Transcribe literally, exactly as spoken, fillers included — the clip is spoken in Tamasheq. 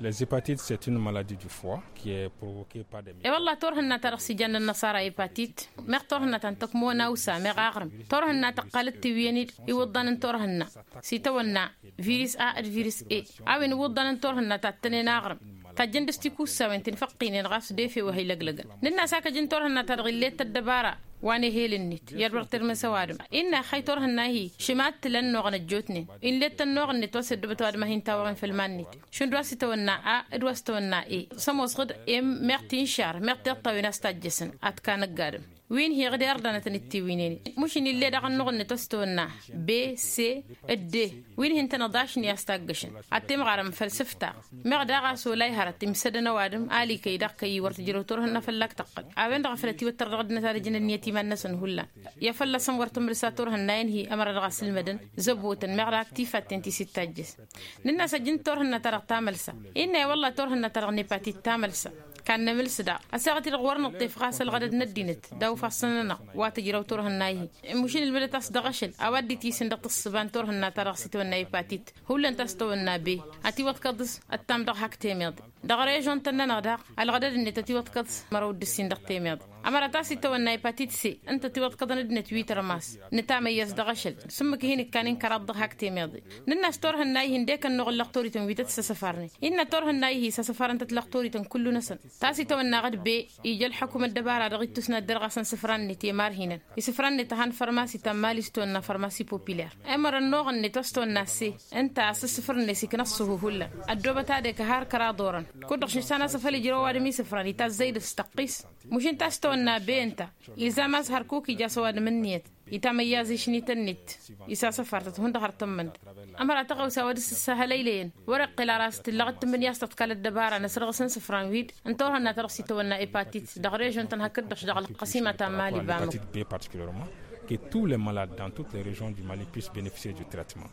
Les hepatites c'est une maladie du foie qui est provoquée par des... I-wălla turhǝnna-ta-dăɣ s-ijanna ănnăṣara hepatit. Meɣ turhǝnna ta n-tăkmăwăn awsa meɣ aɣrǝm. Turhǝnna tăqqal d-tiwǝyăn-dd iwǝḍḍan n-turhǝnna s-itawănna virus a d-virus e. A-wen iwǝḍḍan n-turhǝnna ta ǝttănen aɣrǝm, tajjăn dăɣ-s tikussawen ti n-făqqinen ɣas d-efew a hi-lăglăgăn. Nǝnn'-as hak ăj n-turhǝnna-ta-dăɣ illet ăddăbara wa n-ehel-net i-ad-wăr tirmǝs ăwadǝm. Innă ixăy turhǝnna-hi šima ad-tǝla ănnuɣăn ăjjootnen. Inlet ănnuɣ-net wa s-ăddubăt ăwadǝm a hin-tawăɣen făll-iman-net. Šund wa s-itawănna a d-wa s-itawănna e. Sămoosăɣ-dd em meɣ tinšar meɣ tiṭṭawen a-s tajjăsăn ad-t-kanăgg adǝm. Wi n-hi-dăɣ d-irdanătăn d-tiwǝynen. Mušin ill'-e dăɣ-ănnuɣ-net wa s-itawănna b, c, d. Wi n-hin-tănăḍ ašni a-s taggăšăn ad-t-imɣarăm făll-sǝfta. Meɣ daɣ a-s ola ihărăt imsădăn ăwadǝm alikăy daɣ kăy-i wăr tǝjrăw turhǝnna fălla-k tăqqăl. A-wen-dăɣ a făl ătiwăttăr dăɣ-ăddinăt ad-ǝjǝn ǝnniyăt iman-năsăn hullan. I-ad-fălla-săn wăr tǝmrǝsa turhǝnna-in-hi ămăra dăɣ-asǝlmădăn zăbotăn meɣ daɣ tifatten ti s-dd-tajjăs. Nǝnn'-as ăj n-turhǝnna-ta-dăɣ tamălsa. Innă i-wălla turhǝnna-ta-dăɣ n-epatit tamălsa. Kannămǝls daɣ ăseɣăt-i-dăɣ wăr nǝṭṭef ɣas ălɣădăd n-ăddinăt d-awfasăn-nănăɣ wa tǝjrăw turhǝnna-hi. Mušin ǝlmǝdăt-as dăɣ-ašăl a-wa dd-itisǝn dăɣ-tǝssǝba n-turhǝnna-ta-dăɣ s-itawănna epatit. Hullan ta s-tawănna be ătiwăḍkăḍ s-ăttam dăɣ-hak temeḍe. Dăɣ-režon-tăn-nănăɣ daɣ ălɣădăd-net ătiwăḍkăḍ s-mărăw d-ǝssin dăɣ-temeḍe. Ămăra ta s-itawănna epatit se ǝnta ătiwăḍkăḍăn ăddinăt wi tărmas. Nǝtamăyyăz dăɣ-ašăl s-ǝmmǝk hin-ǝkkan i n-kăraḍ dăɣ-hak temeḍe. Nǝnn'-as turhǝnna-ihi ǝndek ănnuɣ n-lăqtorităn wi tăt-săsăfarnen. Innă turhǝnna-ihi sasăfarăn-tăt lăqtorităn kullu-năsăn. Ta s-itawănna ɣǝd be ija ălḥăkum ăddăbara dăɣ-ittus n-ad-dăr ɣasăn isǝfran-net i-marhinăn. Isǝfran-net a han fărmasi ta n-mali s-tawănna fărmasi popilăr. Ămăra ănnuɣ-net wa s-tawănna se ǝnta a-s ǝssǝfrǝn-net ikna ăṣṣuhu hullan. Ăddoobăt ad-ekăhar kăraḍ orăn. Kud-dăɣ šǝšsan asăfăl ijrăw ăwadǝm isǝfran itazzăy d-s tăqqis. Mušin ta s-tawănna be ǝnta. Ilzam a-s hărkuk ija s-ăwadǝm ǝnniyăt itamăyyaz išnităn-net. Isasăfar-tăt hundăɣ har tǝmmǝnd. Ămăra tăɣawsa wa dăr-s ǝssahălăylăyăn. Wăr-iqqǝl ara a-s tǝllăɣ d-tǝmmǝnǝya a-s tăḍkal ăddăbara n-asrăɣǝs n-isǝfran wi-dd n-turhǝnna-ta-dăɣ s-itawănna epatit. Dăɣ-režon-tăn hakd-dăɣ dăɣ-ălqăsima ta n-mali bamăko. Que tous les malades dans toutes les régions du Mali puissent bénéficier du traitement.